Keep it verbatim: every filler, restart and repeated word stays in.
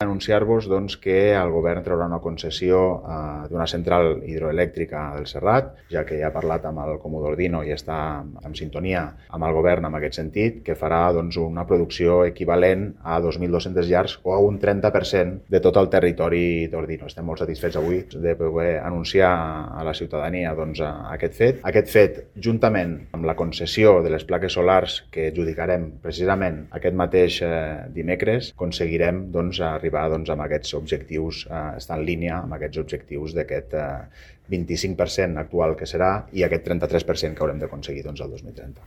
Anunciar-vos doncs, que el govern traurà una concessió eh, d'una central hidroelèctrica del Serrat, ja que ja ha parlat amb el Comodor Dino i està en sintonia amb el govern en aquest sentit, que farà doncs, una producció equivalent a dos mil dos-centes llars o a un trenta per cent de tot el territori d'Ordino. Estem molt satisfets avui de poder anunciar a la ciutadania doncs, aquest fet. Aquest fet, juntament amb la concessió de les plaques solars que adjudicarem precisament aquest mateix eh, dimecres, aconseguirem doncs, arribar arribar doncs, amb aquests objectius, eh, estar en línia amb aquests objectius d'aquest eh, vint-i-cinc per cent actual que serà i aquest trenta-tres per cent que haurem d'aconseguir doncs, el dos mil trenta.